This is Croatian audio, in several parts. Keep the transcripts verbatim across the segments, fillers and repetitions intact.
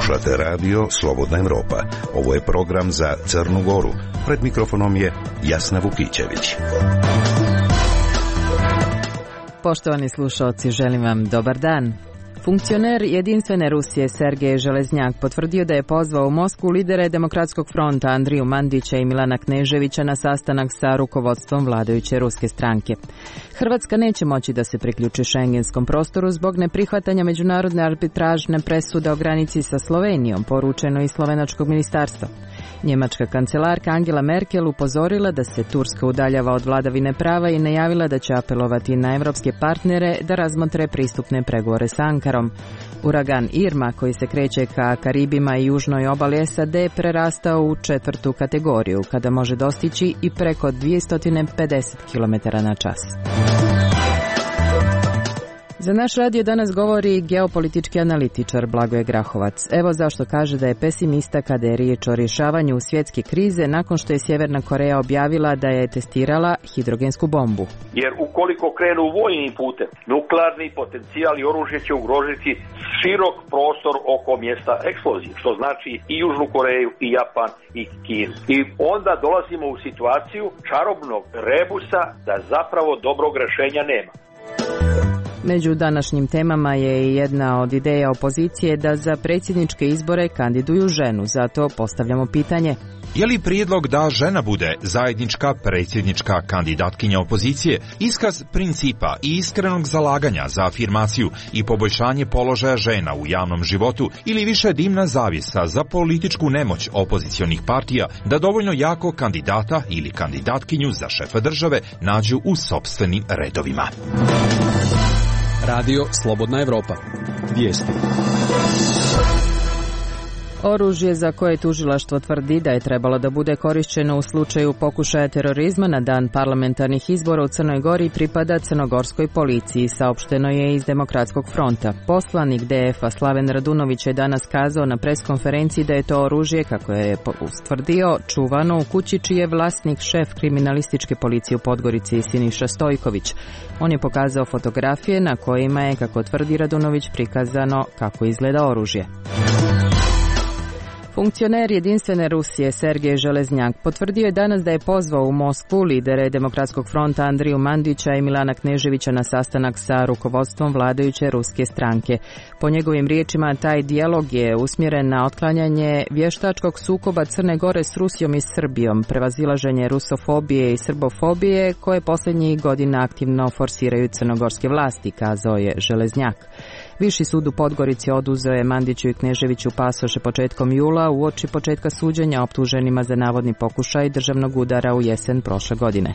Slušate radio Slobodna Evropa. Ovo je program za Crnu Goru. Pred mikrofonom je Jasna Vukićević. Poštovani slušalci, želim vam dobar dan. Funkcioner Jedinstvene Rusije Sergej Železnjak potvrdio da je pozvao u Moskvu lidere Demokratskog fronta Andriju Mandića i Milana Kneževića na sastanak sa rukovodstvom vladajuće ruske stranke. Hrvatska neće moći da se priključi šengenskom prostoru zbog neprihvatanja međunarodne arbitražne presude o granici sa Slovenijom, poručeno iz slovenačkog ministarstva. Njemačka kancelarka Angela Merkel upozorila da se Turska udaljava od vladavine prava i najavila da će apelovati na evropske partnere da razmotre pristupne pregovore sa Ankarom. Uragan Irma, koji se kreće ka Karibima i južnoj obali S A D, prerastao u četvrtu kategoriju, kada može dostići i preko dvjesto pedeset kilometara na čas. Za naš radio danas govori geopolitički analitičar Blagoje Grahovac. Evo zašto kaže da je pesimista kada je riječ o rješavanju svjetske krize nakon što je Sjeverna Koreja objavila da je testirala hidrogensku bombu. Jer ukoliko krenu vojnim putem, nuklearni potencijal i oružje će ugrožiti širok prostor oko mjesta eksplozije, što znači i Južnu Koreju, i Japan, i Kinu. I onda dolazimo u situaciju čarobnog rebusa da zapravo dobrog rješenja nema. Među današnjim temama je i jedna od ideja opozicije da za predsjedničke izbore kandiduju ženu, zato postavljamo pitanje. Je li prijedlog da žena bude zajednička predsjednička kandidatkinja opozicije iskaz principa i iskrenog zalaganja za afirmaciju i poboljšanje položaja žena u javnom životu ili više dimna zavjesa za političku nemoć opozicionih partija da dovoljno jako kandidata ili kandidatkinju za šefa države nađu u sopstvenim redovima? Radio Slobodna Evropa. Vijesti. Oružje za koje tužilaštvo tvrdi da je trebalo da bude korišćeno u slučaju pokušaja terorizma na dan parlamentarnih izbora u Crnoj Gori pripada crnogorskoj policiji, saopšteno je iz Demokratskog fronta. Poslanik D F-a Slaven Radunović je danas kazao na preskonferenciji da je to oružje, kako je ustvrdio, čuvano u kući čiji je vlasnik šef kriminalističke policije u Podgorici Siniša Stojković. On je pokazao fotografije na kojima je, kako tvrdi Radunović, prikazano kako izgleda oružje. Funkcioner Jedinstvene Rusije Sergej Železnjak potvrdio je danas da je pozvao u Moskvu lidere Demokratskog fronta Andriju Mandića i Milana Kneževića na sastanak sa rukovodstvom vladajuće ruske stranke. Po njegovim riječima, taj dijalog je usmjeren na otklanjanje vještačkog sukoba Crne Gore s Rusijom i Srbijom, prevazilaženje rusofobije i srbofobije koje posljednjih godina aktivno forsiraju crnogorske vlasti, kazao je Železnjak. Viši sud u Podgorici oduzeo je Mandiću i Kneževiću pasoše početkom jula uoči početka suđenja optuženima za navodni pokušaj državnog udara u jesen prošle godine.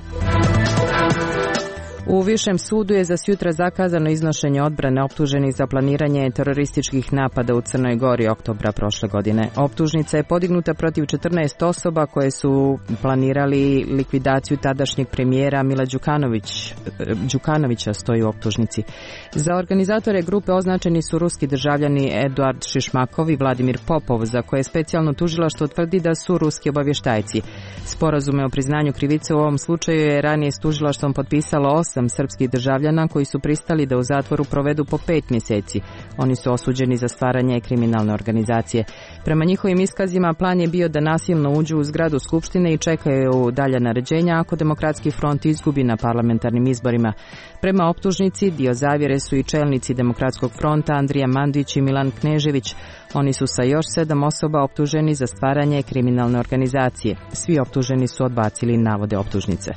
U Višem sudu je za sutra zakazano iznošenje odbrane optuženih za planiranje terorističkih napada u Crnoj Gori oktobra prošle godine. Optužnica je podignuta protiv četrnaest osoba koje su planirali likvidaciju tadašnjeg premijera Mila Đukanović, Đukanovića, stoji u optužnici. Za organizatore grupe označeni su ruski državljani Eduard Šišmakov i Vladimir Popov, za koje specijalno tužilaštvo tvrdi da su ruski obavještajci. Sporazume o priznanju krivice u ovom slučaju je ranije s tužilaštvom potpisalo osam srpskih državljana koji su pristali da u zatvoru provedu po pet mjeseci. Oni su osuđeni za stvaranje kriminalne organizacije. Prema njihovim iskazima plan je bio da nasilno uđu u zgradu Skupštine i čekaju dalja naređenja ako Demokratski front izgubi na parlamentarnim izborima. Prema optužnici dio zavjere su i čelnici Demokratskog fronta Andrija Mandić i Milan Knežević. Oni su sa još sedam osoba optuženi za stvaranje kriminalne organizacije. Svi optuženi su odbacili navode optužnice.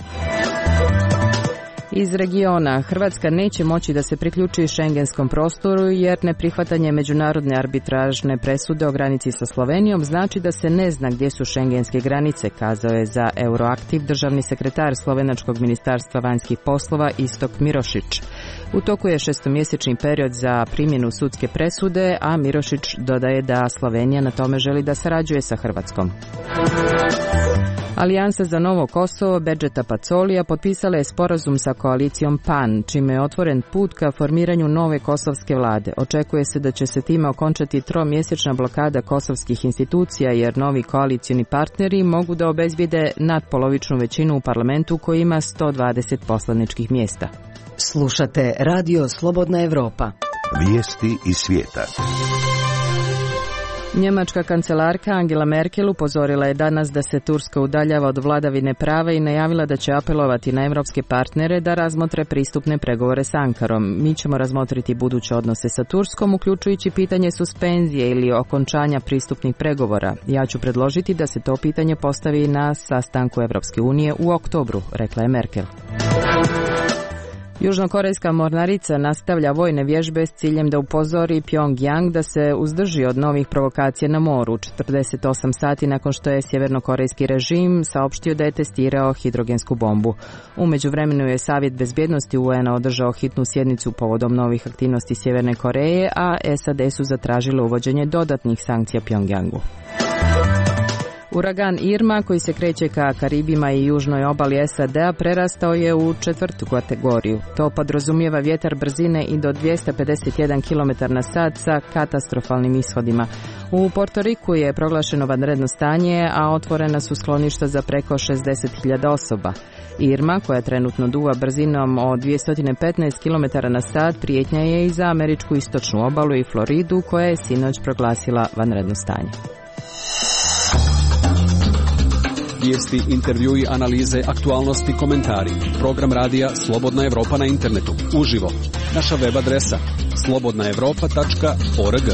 Iz regiona, Hrvatska neće moći da se priključi šengenskom prostoru jer neprihvatanje međunarodne arbitražne presude o granici sa Slovenijom znači da se ne zna gdje su šengenske granice, kazao je za Euroaktiv državni sekretar Slovenačkog ministarstva vanjskih poslova Istok Mirošić. U toku je šestomjesečni period za primjenu sudske presude, a Mirošić dodaje da Slovenija na tome želi da sarađuje sa Hrvatskom. Alijansa za Novo Kosovo Bedžeta Pacolija potpisala je sporazum sa koalicijom P A N, čime je otvoren put ka formiranju nove kosovske vlade. Očekuje se da će se time okončati tromjesečna blokada kosovskih institucija, jer novi koalicioni partneri mogu da obezbijede nadpolovičnu većinu u parlamentu koji ima sto dvadeset poslaničkih mjesta. Slušate Radio Slobodna Evropa. Vijesti iz svijeta. Njemačka kancelarka Angela Merkel upozorila je danas da se Turska udaljava od vladavine prava i najavila da će apelovati na evropske partnere da razmotre pristupne pregovore s Ankarom. Mi ćemo razmotriti buduće odnose sa Turskom, uključujući pitanje suspenzije ili okončanja pristupnih pregovora. Ja ću predložiti da se to pitanje postavi na sastanku Evropske unije u oktobru, rekla je Merkel. Južnokorejska mornarica nastavlja vojne vježbe s ciljem da upozori Pyongyang da se uzdrži od novih provokacija na moru, četrdeset osam sati nakon što je sjevernokorejski režim saopštio da je testirao hidrogensku bombu. U međuvremenu je Savjet bezbjednosti U N-a održao hitnu sjednicu povodom novih aktivnosti Sjeverne Koreje, a S A D su zatražile uvođenje dodatnih sankcija Pyongyangu. Uragan Irma, koji se kreće ka Karibima i južnoj obali S A D-a, prerastao je u četvrtu kategoriju. To podrazumijeva vjetar brzine i do dvjesto pedeset jedan kilometar na sat sa katastrofalnim ishodima. U Porto Riku je proglašeno vanredno stanje, a otvorena su skloništa za preko šezdeset hiljada osoba. Irma, koja trenutno duva brzinom od dvjesto petnaest kilometara na sat, prijetnja je i za američku istočnu obalu i Floridu, koja je sinoć proglasila vanredno stanje. Vijesti, intervjui, analize, aktualnosti, komentari. Program radija Slobodna Evropa na internetu. Uživo. Naša web adresa slobodna evropa tačka org.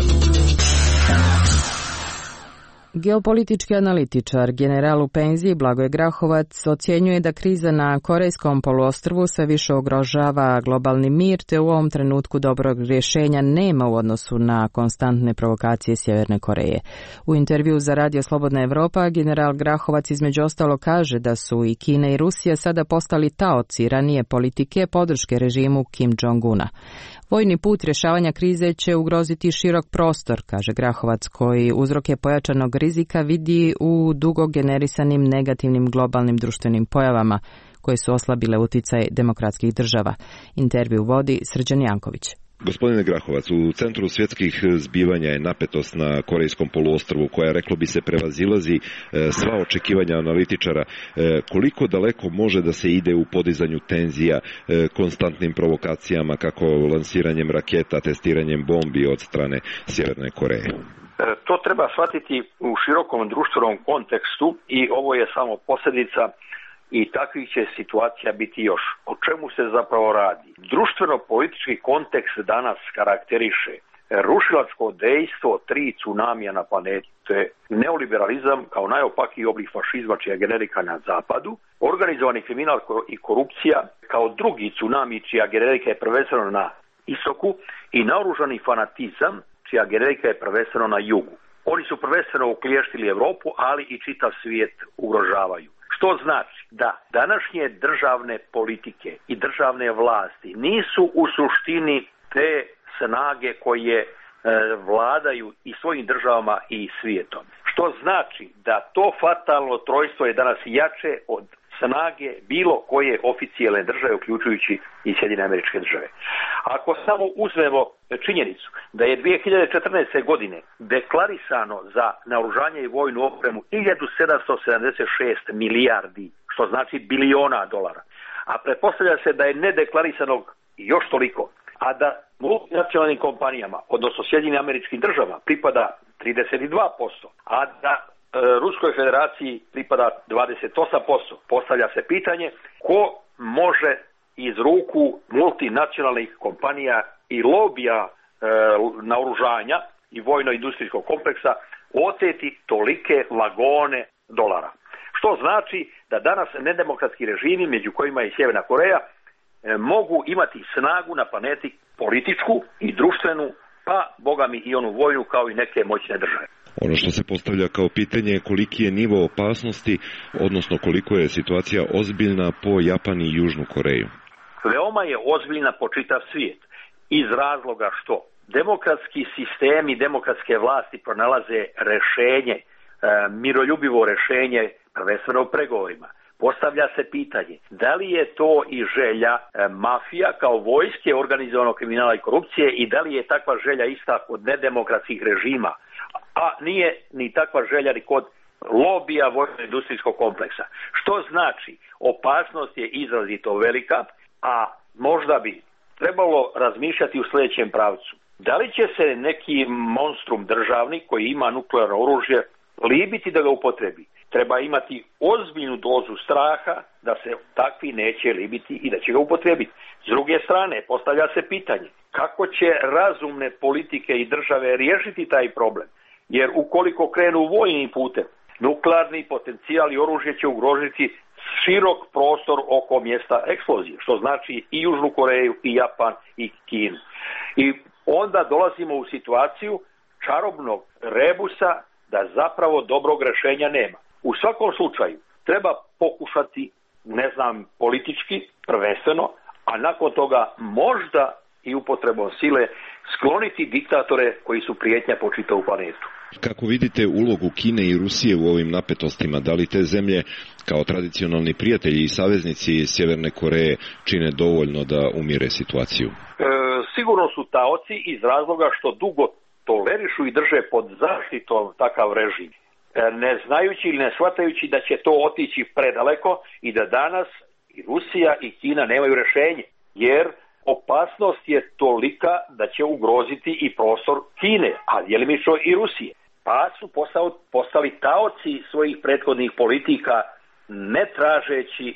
Geopolitički analitičar, general u penziji Blagoje Grahovac, ocjenjuje da kriza na Korejskom poluostrvu sve više ugrožava globalni mir, te u ovom trenutku dobrog rješenja nema u odnosu na konstantne provokacije Sjeverne Koreje. U intervju za Radio Slobodna Evropa, general Grahovac između ostalo kaže da su i Kina i Rusija sada postali taoci ranije politike podrške režimu Kim Jong-una. Vojni put rješavanja krize će ugroziti širok prostor, kaže Grahovac, koji uzroke pojačanog rizika vidi u dugo generisanim negativnim globalnim društvenim pojavama koje su oslabile utjecaj demokratskih država. Intervju vodi Srđan Janković. Gospodine Grahovac, u centru svjetskih zbivanja je napetost na Korejskom poluostrvu koja, reklo bi se, prevazilazi sva očekivanja analitičara. Koliko daleko može da se ide u podizanju tenzija, konstantnim provokacijama, kako lansiranjem raketa, testiranjem bombi od strane Sjeverne Koreje? To treba shvatiti u širokom društvenom kontekstu i ovo je samo posljedica i takvih će situacija biti još. O čemu se zapravo radi? Društveno-politički kontekst danas karakteriše rušilačko dejstvo tri tsunamija na planeti. To je neoliberalizam kao najopakiji oblik fašizma čija je generika na zapadu, organizovani kriminal i korupcija kao drugi tsunami čija generika je prvenstveno na istoku i naoružani fanatizam čija generika je prvenstveno na jugu. Oni su prvenstveno uklještili Europu, ali i čitav svijet ugrožavaju. Što znači da današnje državne politike i državne vlasti nisu u suštini te snage koje e, vladaju i svojim državama i svijetom. Što znači da to fatalno trojstvo je danas jače od snage bilo koje oficijelne države, uključujući i Sjedinjene Američke Države. Ako samo uzmemo činjenicu da je dvije hiljade četrnaeste. godine deklarisano za naoružanje i vojnu opremu hiljadu sedamsto sedamdeset šest milijardi, što znači biliona dolara, a pretpostavlja se da je nedeklarisanog još toliko, a da multinacionalnim kompanijama, odnosno Sjedinjenim Američkim Državama, pripada trideset dva posto, a da Ruskoj federaciji pripada dvadeset osam posto. Postavlja se pitanje ko može iz ruku multinacionalnih kompanija i lobija e, naoružanja i vojno-industrijskog kompleksa oteti tolike vagone dolara. Što znači da danas nedemokratski režimi, među kojima je Sjeverna Koreja, e, mogu imati snagu na planeti političku i društvenu, pa boga mi i onu vojnu kao i neke moćne države. Ono što se postavlja kao pitanje je koliki je nivo opasnosti, odnosno koliko je situacija ozbiljna po Japan i Južnu Koreju. Veoma je ozbiljna po čitav svijet iz razloga što demokratski sistem i demokratske vlasti pronalaze rješenje, e, miroljubivo rješenje prvenstveno u pregovorima. Postavlja se pitanje da li je to i želja e, mafija kao vojske organizovanog kriminala i korupcije i da li je takva želja ista kod nedemokratskih režima, a nije ni takva želja ni kod lobija vojno-industrijskog kompleksa. Što znači opasnost je izrazito velika, a možda bi trebalo razmišljati u sljedećem pravcu. Da li će se neki monstrum državni koji ima nuklearno oružje libiti da ga upotrebi? Treba imati ozbiljnu dozu straha da se takvi neće libiti i da će ga upotrebiti. S druge strane, postavlja se pitanje kako će razumne politike i države riješiti taj problem. Jer ukoliko krenu vojnim putem, nuklearni potencijal i oružje će ugroziti širok prostor oko mjesta eksplozije, što znači i Južnu Koreju, i Japan, i Kinu. I onda dolazimo u situaciju čarobnog rebusa da zapravo dobrog rješenja nema. U svakom slučaju treba pokušati, ne znam, politički prvenstveno, a nakon toga možda i upotrebom sile skloniti diktatore koji su prijetnja po čitavu planetu. Kako vidite ulogu Kine i Rusije u ovim napetostima? Da li te zemlje kao tradicionalni prijatelji i saveznici Sjeverne Koreje čine dovoljno da umire situaciju? E, sigurno su taoci iz razloga što dugo tolerišu i drže pod zaštitom takav režim, e, ne znajući ili ne shvatajući da će to otići predaleko i da danas i Rusija i Kina nemaju rješenje, jer opasnost je tolika da će ugroziti i prostor Kine, a djelimično i Rusije. Pa su postali taoci svojih prethodnih politika, ne tražeći,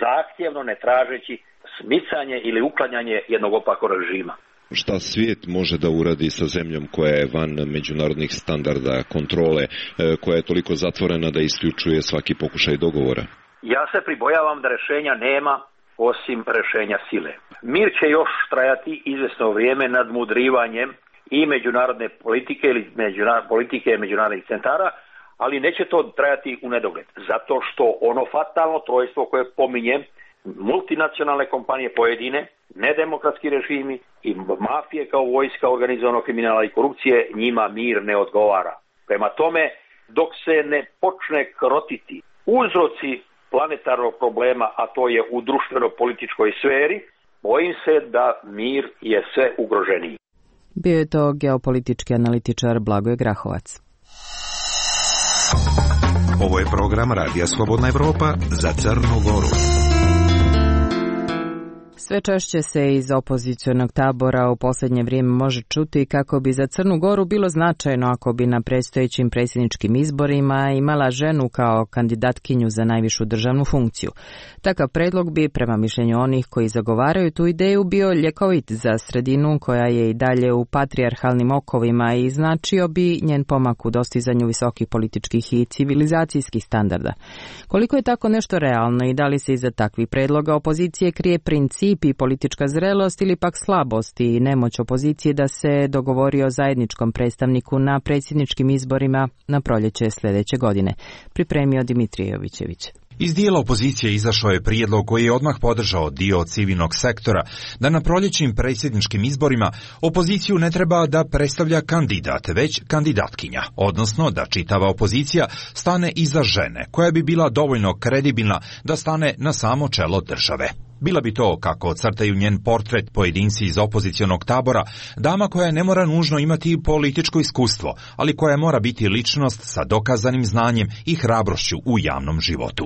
zahtjevno ne tražeći smicanje ili uklanjanje jednog opakog režima. Šta svijet može da uradi sa zemljom koja je van međunarodnih standarda, kontrole, koja je toliko zatvorena da isključuje svaki pokušaj dogovora? Ja se pribojavam da rješenja nema osim rješenja sile. Mir će još trajati izvjesno vrijeme nadmudrivanjem i međunarodne politike ili međunar- politike međunarodnih centara, ali neće to trajati u nedogled. Zato što ono fatalno trojstvo koje pominjem, multinacionalne kompanije pojedine, nedemokratski režimi i mafije kao vojska organizovanog kriminala i korupcije, njima mir ne odgovara. Prema tome, dok se ne počne krotiti uzroci planetarnog problema, a to je u društveno-političkoj sferi, bojim se da mir je sve ugroženiji. Bio je to geopolitički analitičar Blagoje Grahovac. Ovo je program Radija Slobodna Evropa za Crnu Goru. Sve češće se iz opozicionog tabora u posljednje vrijeme može čuti kako bi za Crnu Goru bilo značajno ako bi na predstojećim predsjedničkim izborima imala ženu kao kandidatkinju za najvišu državnu funkciju. Takav predlog bi, prema mišljenju onih koji zagovaraju tu ideju, bio ljekovit za sredinu koja je i dalje u patrijarhalnim okovima i značio bi njen pomak u dostizanju visokih političkih i civilizacijskih standarda. Koliko je tako nešto realno i da li se iza takvih predloga opozicije krije princip i politička zrelost ili pak slabost i nemoć opozicije da se dogovori o zajedničkom predstavniku na predsjedničkim izborima na proljeće sljedeće godine, pripremio Dimitrije Jovićević. Iz dijela opozicije izašao je prijedlog koji je odmah podržao dio civilnog sektora da na proljećim predsjedničkim izborima opoziciju ne treba da predstavlja kandidat, već kandidatkinja, odnosno da čitava opozicija stane iza žene koja bi bila dovoljno kredibilna da stane na samo čelo države. Bila bi to, kako crtaju njen portret pojedinci iz opozicionog tabora, dama koja ne mora nužno imati političko iskustvo, ali koja mora biti ličnost sa dokazanim znanjem i hrabrošću u javnom životu.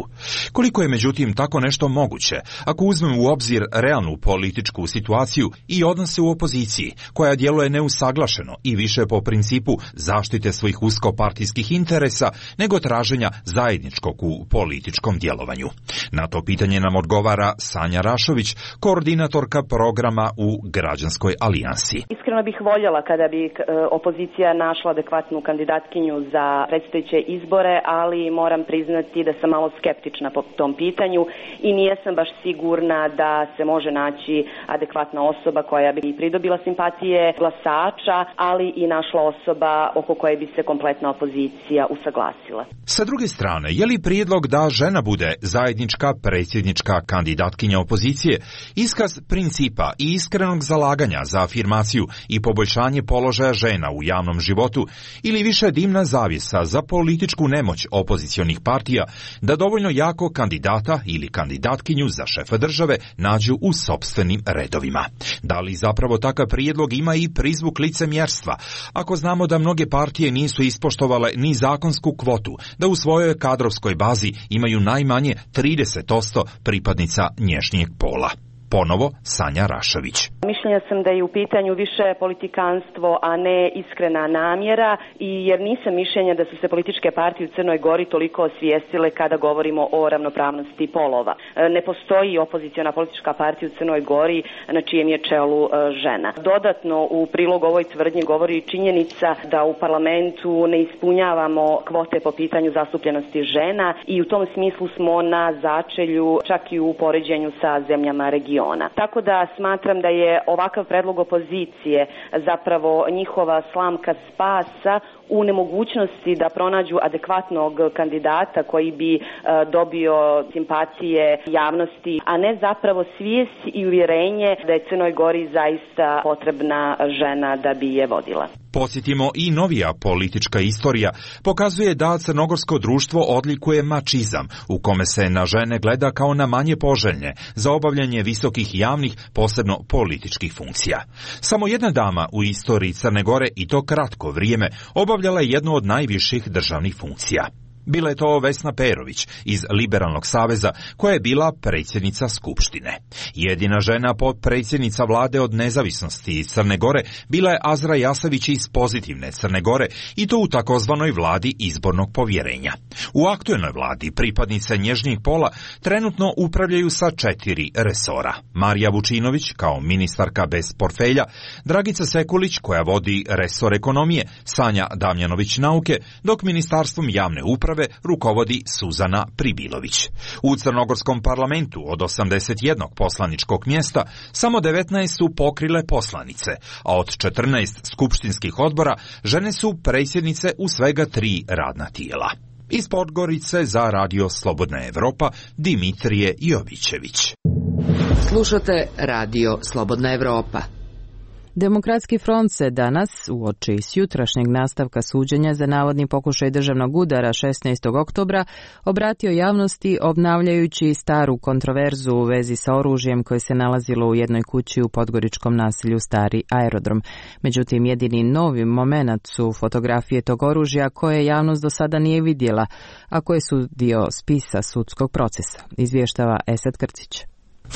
Koliko je međutim tako nešto moguće, ako uzmemo u obzir realnu političku situaciju i odnose u opoziciji, koja djeluje neusaglašeno i više po principu zaštite svojih uskopartijskih interesa nego traženja zajedničkog u političkom djelovanju. Na to pitanje nam odgovara Sanja Rašović, koordinatorka programa u Građanskoj alijansi. Iskreno bih voljela kada bi opozicija našla adekvatnu kandidatkinju za predstojeće izbore, ali moram priznati da sam malo skeptična po tom pitanju i nijesam baš sigurna da se može naći adekvatna osoba koja bi pridobila simpatije glasača, ali i našla osoba oko koje bi se kompletna opozicija usaglasila. Sa druge strane, je li prijedlog da žena bude zajednička predsjednička kandidatkinja opozicije iskaz principa i iskrenog zalaganja za afirmaciju i poboljšanje položaja žena u javnom životu ili više dimna zavjesa za političku nemoć opozicionih partija da dovoljno jako kandidata ili kandidatkinju za šefa države nađu u sopstvenim redovima? Da li zapravo takav prijedlog ima i prizvuk licemjerstva, ako znamo da mnoge partije nisu ispoštovale ni zakonsku kvotu da u svojoj kadrovskoj bazi imaju najmanje trideset posto pripadnica nježnijeg pola? Ponovo Sanja Rašović. Mišljenja sam da je u pitanju više politikanstvo, a ne iskrena namjera, i jer nisam mišljenja da su se političke partije u Crnoj Gori toliko osvijestile kada govorimo o ravnopravnosti polova. Ne postoji opoziciona politička partija u Crnoj Gori na čijem je čelu žena. Dodatno u prilog ovoj tvrdnji govori činjenica da u parlamentu ne ispunjavamo kvote po pitanju zastupljenosti žena i u tom smislu smo na začelju čak i u poređenju sa zemljama regiona. Tako da smatram da je ovakav predlog opozicije zapravo njihova slamka spasa u nemogućnosti da pronađu adekvatnog kandidata koji bi e, dobio simpatije javnosti, a ne zapravo svijest i uvjerenje da je Crnoj Gori zaista potrebna žena da bi je vodila. Posjetimo i novija politička istorija pokazuje da crnogorsko društvo odlikuje mačizam, u kome se na žene gleda kao na manje poželjne za obavljanje visokih javnih, posebno političkih funkcija. Samo jedna dama u istoriji Crne Gore, i to kratko vrijeme, obavljala je jednu od najviših državnih funkcija. Bila je to Vesna Perović iz Liberalnog saveza, koja je bila predsjednica Skupštine. Jedina žena potpredsjednica vlade od nezavisnosti iz Crne Gore bila je Azra Jasavić iz Pozitivne Crne Gore, i to u takozvanoj vladi izbornog povjerenja. U aktuelnoj vladi pripadnice nježnijeg pola trenutno upravljaju sa četiri resora. Marija Vučinović kao ministarka bez portfelja, Dragica Sekulić koja vodi resor ekonomije, Sanja Damjanović nauke, dok ministarstvom javne uprave rukovodi Suzana Pribilović. U crnogorskom parlamentu od osamdeset jednog poslaničkog mjesta samo devetnaest su pokrile poslanice, a od četrnaest skupštinskih odbora žene su predsjednice u svega tri radna tijela. Iz Podgorice za Radio Slobodna Evropa, Dimitrije Jovićević. Slušate Radio Slobodna Evropa. Demokratski front se danas, uoči s jutrašnjeg nastavka suđenja za navodni pokušaj državnog udara šesnaestog oktobra, obratio javnosti obnavljajući staru kontroverzu u vezi sa oružjem koje se nalazilo u jednoj kući u podgoričkom naselju Stari aerodrom. Međutim, jedini novi moment su fotografije tog oružja koje javnost do sada nije vidjela, a koje su dio spisa sudskog procesa, izvještava Esad Krcić.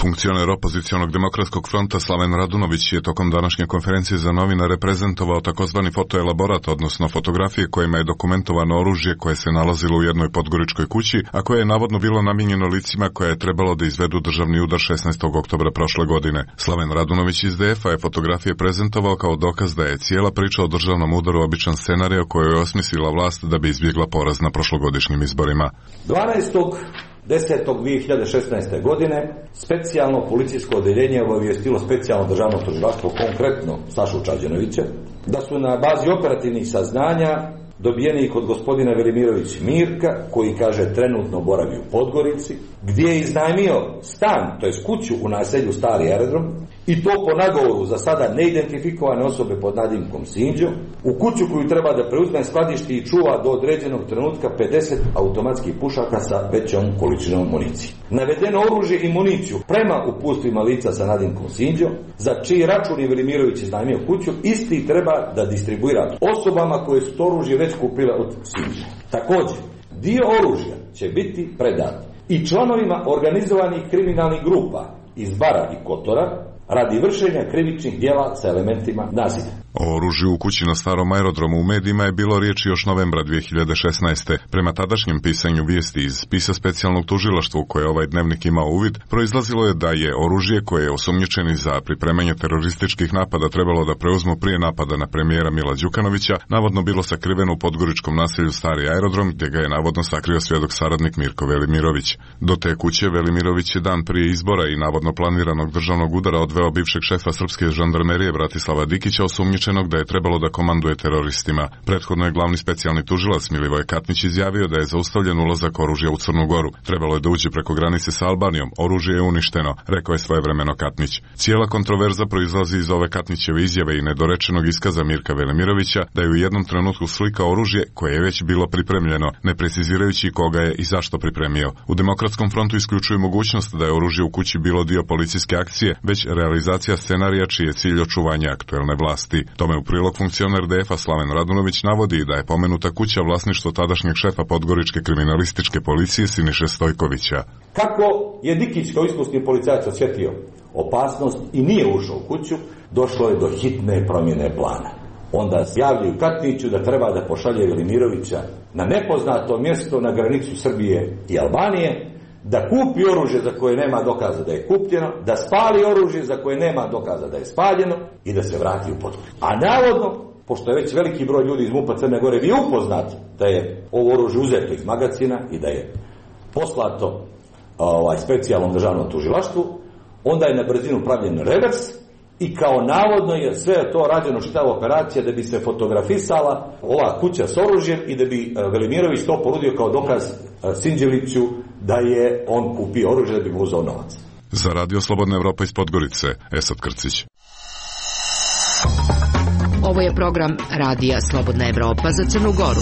Funkcioner opozicionog demokratskog fronta Slaven Radunović je tokom današnje konferencije za novinare prezentovao takozvani fotoelaborat, odnosno fotografije kojima je dokumentovano oružje koje se nalazilo u jednoj podgoričkoj kući, a koje je navodno bilo namijenjeno licima koje je trebalo da izvedu državni udar šesnaestog oktobra prošle godine. Slaven Radunović iz D F-a je fotografije prezentovao kao dokaz da je cijela priča o državnom udaru običan scenario koju je osmislila vlast da bi izbjegla poraz na prošlogodišnjim izborima. dvanaestog desetog dvije hiljade šesnaeste. godine specijalno policijsko odeljenje obavijestilo specijalno državno tužilaštvo, konkretno Sašu Čađanovića, da su na bazi operativnih saznanja dobijeni kod gospodina Velimirović Mirka, koji kaže trenutno boravi u Podgorici, gdje je iznajmio stan, to jest kuću u naselju Stari aerodrom, i to po nagovoru za sada neidentifikovane osobe pod nadimkom Sinđo, u kuću koju treba da preuzme, skladišti i čuva do određenog trenutka pedeset automatskih pušaka sa većom količinom municije. Navedeno oružje i municiju prema uputstvima lica sa nadimkom Sinđo, za čiji račun je Velimirović iznajmio kuću, isti treba da distribuira osobama koje su to oružje već kupile od Sinđa. Također, dio oružja će biti predat i članovima organizovanih kriminalnih grupa iz Bara i Kotora radi vršenja krivičnih djela sa elementima nasilja. O oružju u kući na Starom aerodromu u medijima je bilo riječi još novembra dvije hiljade šesnaeste. Prema tadašnjem pisanju vijesti iz spisa specijalnog tužilaštva u koje ovaj dnevnik imao uvid, proizlazilo je da je oružje koje je osumnjičeni za pripremanje terorističkih napada trebalo da preuzmu prije napada na premijera Mila Đukanovića, navodno bilo sakriveno u podgoričkom naselju Stari aerodrom, gdje ga je navodno sakrio svjedok saradnik Mirko Velimirović. Do te kuće Velimirović je dan prije izbora i navodno planiranog državnog udara odveo bivšeg šefa srpske žandarmerije Bratislava Dikića, osumnjičenog da je trebalo da komanduje teroristima. Prethodno je glavni specijalni tužilac Milivoj Katnić izjavio da je zaustavljen ulazak oružja u Crnu Goru. Trebalo je da uđe preko granice sa Albanijom. Oružje je uništeno, rekao je svojevremeno Katnić. Cijela kontroverza proizlazi iz ove Katnićeve izjave i nedorečenog iskaza Mirka Velimirovića da je u jednom trenutku slikao oružje koje je već bilo pripremljeno, ne precizirajući koga je i zašto pripremio. U Demokratskom frontu isključuju mogućnost da je oružje u kući bilo dio policijske akcije, već realizacija scenarija čiji je cilj očuvanje aktuelne vlasti. Tome u prilog funkcioner D F-a Slaven Radunović navodi da je pomenuta kuća vlasništvo tadašnjeg šefa Podgoričke kriminalističke policije Siniše Stojkovića. Kako je Dikić kao iskusni policajac osjetio opasnost i nije ušao u kuću, došlo je do hitne promjene plana. Onda javljaju Katniću da treba da pošalje Velimirovića na nepoznato mjesto na granicu Srbije i Albanije, da kupi oružje za koje nema dokaza da je kupljeno, da spali oružje za koje nema dokaza da je spaljeno i da se vrati u Podgoricu. A navodno, pošto je već veliki broj ljudi iz MUP-a Crne Gore bio upoznat da je ovo oružje uzeto iz magacina i da je poslato ovaj, specijalnom državnom tužilaštvu, onda je na brzinu pravljen revers i kao navodno je sve to rađeno čitava operacija da bi se fotografisala ova kuća s oružjem i da bi Velimirović to ponudio kao dokaz Sinđeliću da je on kupio oružje da bi mu uzeo novac. Za Radio Slobodna Evropa iz Podgorice, Esad Krcić. Ovo je program Radija Slobodna Evropa za Crnu Goru.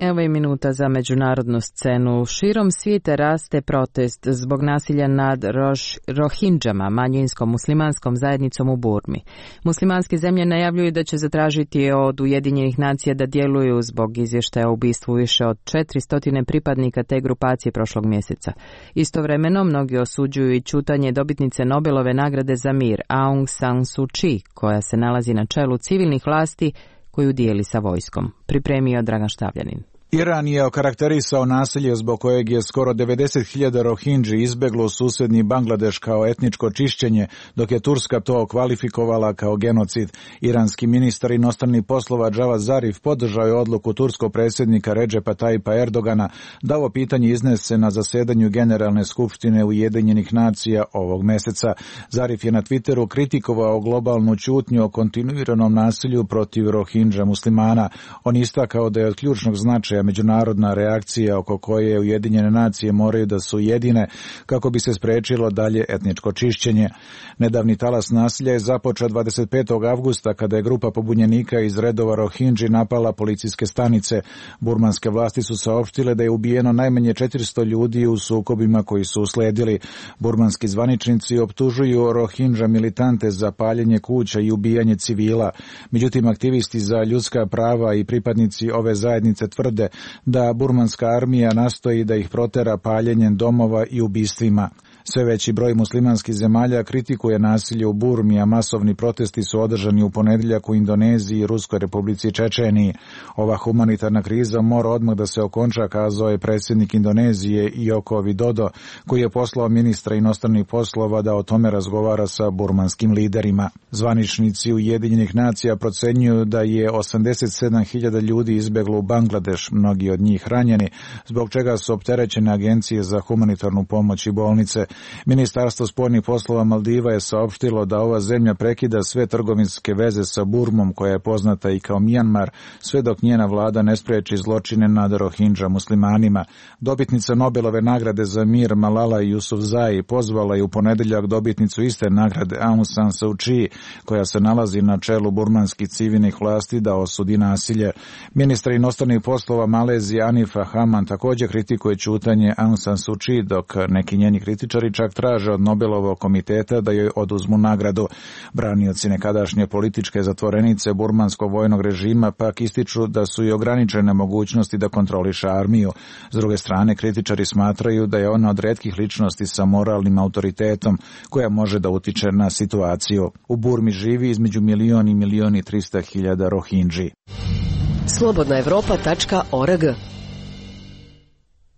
Evo je minuta za međunarodnu scenu. Širom svijeta raste protest zbog nasilja nad Roš, Rohingama, manjinskom muslimanskom zajednicom u Burmi. Muslimanske zemlje najavljuju da će zatražiti od Ujedinjenih nacija da djeluju zbog izvještaja o ubistvu više od četiristo pripadnika te grupacije prošlog mjeseca. Istovremeno, mnogi osuđuju i ćutanje dobitnice Nobelove nagrade za mir Aung San Suu Kyi, koja se nalazi na čelu civilnih vlasti koju dijeli sa vojskom. Pripremio Dragan Štavljanin. Iran je okarakterisao nasilje zbog kojeg je skoro devedeset hiljada Rohingji izbeglo u susjedni Bangladeš kao etničko čišćenje, dok je Turska to kvalifikovala kao genocid. Iranski ministar inostranih poslova Javad Zarif podržao je odluku turskog predsjednika Redžepa Tayyipa Erdogana da ovo pitanje iznese na zasedanju Generalne skupštine Ujedinjenih nacija ovog mjeseca. Zarif je na Twitteru kritikovao globalnu ćutnju o kontinuiranom nasilju protiv Rohingja muslimana. On istakao da je od ključnog značaja međunarodna reakcija oko koje Ujedinjene nacije moraju da su jedine kako bi se sprečilo dalje etničko čišćenje. Nedavni talas nasilja je započeo dvadeset petog avgusta kada je grupa pobunjenika iz redova Rohingji napala policijske stanice. Burmanske vlasti su saopštile da je ubijeno najmanje četiristo ljudi u sukobima koji su usledili. Burmanski zvaničnici optužuju Rohingja militante za paljenje kuća i ubijanje civila. Međutim, aktivisti za ljudska prava i pripadnici ove zajednice tvrde da burmanska armija nastoji da ih protera paljenjem domova i ubistvima. Sve veći broj muslimanskih zemalja kritikuje nasilje u Burmi, a masovni protesti su održani u ponedjeljak u Indoneziji i Ruskoj republici Čečeniji. Ova humanitarna kriza mora odmah da se okonča, kazao je predsjednik Indonezije Joko Widodo, koji je poslao ministra inostranih poslova da o tome razgovara sa burmanskim liderima. Zvaničnici Ujedinjenih nacija procenjuju da je osamdeset sedam hiljada ljudi izbeglo u Bangladeš, mnogi od njih ranjeni, zbog čega su opterećene agencije za humanitarnu pomoć i bolnice. Ministarstvo spoljnih poslova Maldiva je saopštilo da ova zemlja prekida sve trgovinske veze sa Burmom, koja je poznata i kao Mijanmar, sve dok njena vlada ne spreči zločine nad Rohingja muslimanima. Dobitnica Nobelove nagrade za mir Malala Yousafzai pozvala je u ponedjeljak dobitnicu iste nagrade Aung San Suu Kyi, koja se nalazi na čelu burmanskih civilnih vlasti, da osudi nasilje. Ministar inostranih poslova Malezije Anifa Haman također kritikuje ćutanje Aung San Suu Kyi, dok neki njeni kritičari čak traže od Nobelovog komiteta da joj oduzmu nagradu. Branioci nekadašnje političke zatvorenice burmanskog vojnog režima pak ističu da su i ograničene mogućnosti da kontroliše armiju. S druge strane, kritičari smatraju da je ona od retkih ličnosti sa moralnim autoritetom koja može da utiče na situaciju. U Burmi živi između milion i milion i trista hiljada Rohingji. slobodna evropa tačka org.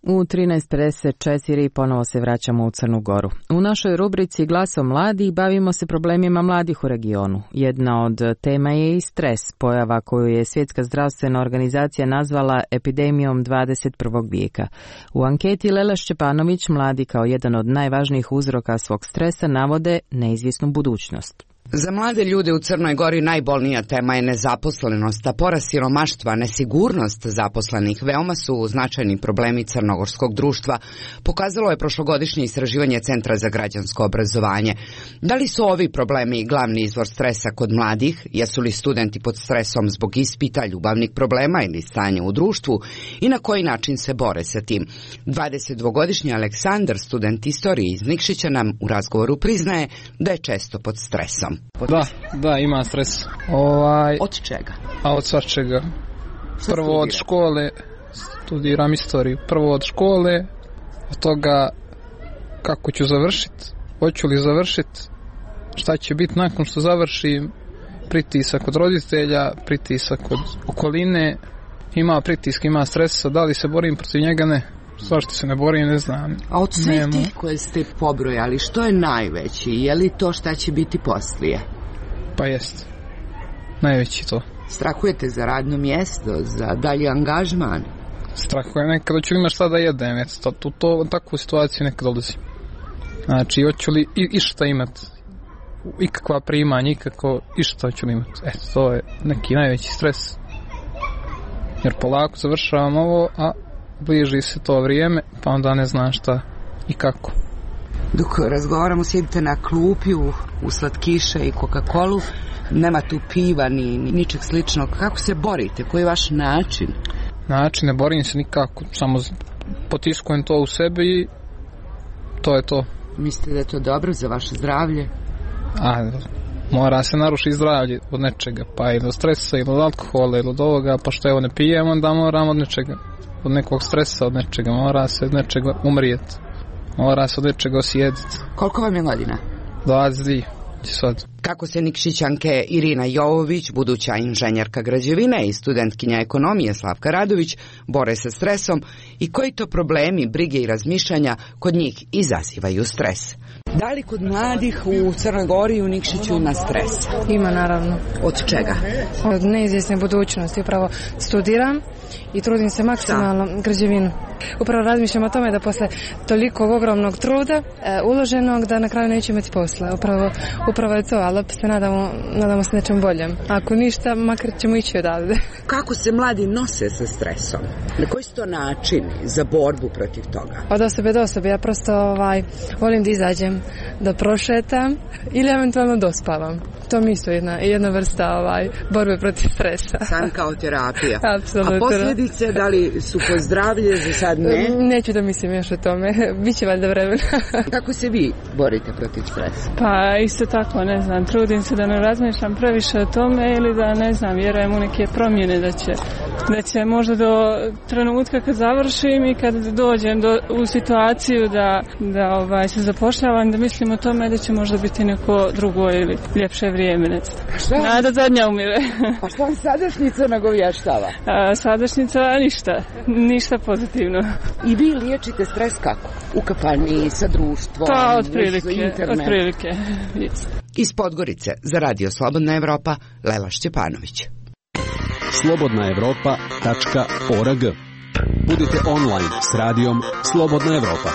U trinaest pedeset četiri ponovo se vraćamo u Crnu Goru. U našoj rubrici Glasom mladih bavimo se problemima mladih u regionu. Jedna od tema je i stres, pojava koju je Svjetska zdravstvena organizacija nazvala epidemijom dvadeset prvog vijeka. U anketi Lela Šćepanović mladi kao jedan od najvažnijih uzroka svog stresa navode neizvjesnu budućnost. Za mlade ljude u Crnoj Gori najbolnija tema je nezaposlenost, a porast siromaštva, nesigurnost zaposlenih veoma su značajni problemi crnogorskog društva, pokazalo je prošlogodišnje istraživanje Centra za građansko obrazovanje. Da li su ovi problemi glavni izvor stresa kod mladih? Jesu li studenti pod stresom zbog ispita, ljubavnih problema ili stanja u društvu? I na koji način se bore sa tim? dvadesetdvogodišnji Aleksandar, student istorije iz Nikšića, nam u razgovoru priznaje da je često pod stresom. Da, da, ima stres. Ovaj, od čega? A od svačega. Prvo od škole, studiram istoriju. Prvo od škole, od toga kako ću završiti, hoću li završiti, šta će biti nakon što završim, pritisak od roditelja, pritisak od okoline, ima pritisak, ima stresa, da li se borim protiv njega, ne. Zašto se ne borim, ne znam. A od svih tih koje ste pobrojali, što je najveći? Je li to šta će biti poslije? Pa jest. Najveći to. Strahujete za radno mjesto, za dalji angažman? Strahujem nekada ću imati šta da jedem. Eto, to, to, takvu situaciju nekad dolazi. Znači, hoću li i, i šta imati? Ikakva primanja, ikako i šta ću li imati? Eto, to je neki najveći stres. Jer polako završavam ovo, a bliži se to vrijeme, pa onda ne znam šta i kako. Dok razgovaramo, sjedite na klupi u, u slatkiše i Coca-Colu, nema tu piva ni, ni ničeg sličnog. Kako se borite? Koji je vaš način? Način, ne borim se nikako, samo potiskujem to u sebi i to je to. Mislite da je to dobro za vaše zdravlje? A, mora se narušiti zdravlje od nečega, pa ili od stresa, ili od alkohola, ili od ovoga, pa što evo ne pijem, onda moram od nečega. Od nekog stresa, od nečega, mora se od nečega umrijeti, mora se od nečega osjetiti. Koliko vam je godina? dvadeset dvije sad. Kako se Nikšićanke Irina Jovović, buduća inženjerka građevine i studentkinja ekonomije Slavka Radović, bore sa stresom i koji to problemi, brige i razmišljanja kod njih izazivaju stres? Da li kod mladih u Crnoj Gori i u Nikšiću ima stres? Ima, naravno. Od čega? Od neizvjesne budućnosti. Upravo studiram i trudim se maksimalno da. građevinu. Upravo razmišljam o tome da posle toliko ogromnog truda e, uloženog da na kraju neće imati posla. Upravo, upravo je to, ali opet se nadamo, nadamo se nečem boljem. Ako ništa, makar ćemo ići odavde. Kako se mladi nose sa stresom? Na koji su to načini za borbu protiv toga? Od osobe do osobe. Ja prosto ovaj, volim da izađem, da prošetam ili eventualno dospavam. To mi isto jedna, jedna vrsta ovaj, borbe protiv stresa. San kao terapija. Apsolutno. A posljedice, da li su po zdravlje, za sad ne? Neću da mislim još o tome. Biće valjda vremena. Kako se vi borite protiv stresa? Pa isto tako, ne znam, trudim se da ne razmišljam previše o tome ili da, ne znam, vjerujem u neke promjene da će, da će možda do trenutka kad završim i kad dođem do, u situaciju da, da ovaj, se zapošljavam, da mislim o tome da će možda biti neko drugo ili ljepše vrijeme, ne znam. Nada zadnja umire. A što vam sadašnjica nagovještava? A, sadašnjica ništa, ništa pozitivno. I vi liječite stres kako? U kafanji, sa društvom, pa, otprilike, internet? Otprilike, Iz Podgorice za Radio Slobodna Evropa, Lela Šćepanović. slobodna evropa tačka org. Budite online s radijom Slobodna Evropa.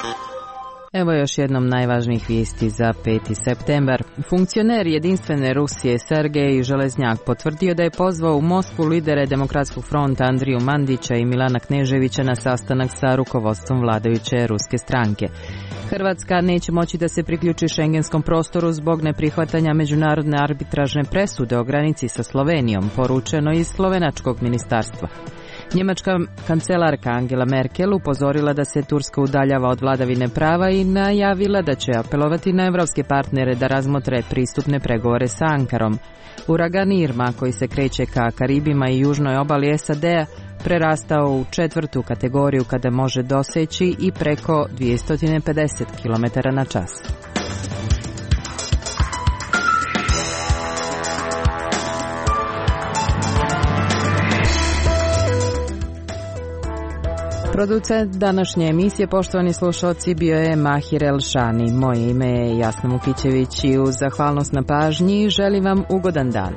Evo još jednom najvažnijih vijesti za peti septembar. Funkcioner jedinstvene Rusije Sergej Železnjak potvrdio da je pozvao u Moskvu lidere Demokratskog fronta Andriju Mandića i Milana Kneževića na sastanak sa rukovodstvom vladajuće ruske stranke. Hrvatska neće moći da se priključi šengenskom prostoru zbog neprihvatanja međunarodne arbitražne presude o granici sa Slovenijom, poručeno iz slovenačkog ministarstva. Njemačka kancelarka Angela Merkel upozorila da se Turska udaljava od vladavine prava i najavila da će apelovati na evropske partnere da razmotre pristupne pregovore sa Ankarom. Uragan Irma, koji se kreće ka Karibima i južnoj obali S A D-a, prerastao u četvrtu kategoriju kada može doseći i preko dvjesto pedeset kilometara na čas. Producent današnje emisije, poštovani slušalci, bio je Mahir Elšani. Moje ime je Jasna Vukićević i uz zahvalnost na pažnji želim vam ugodan dan.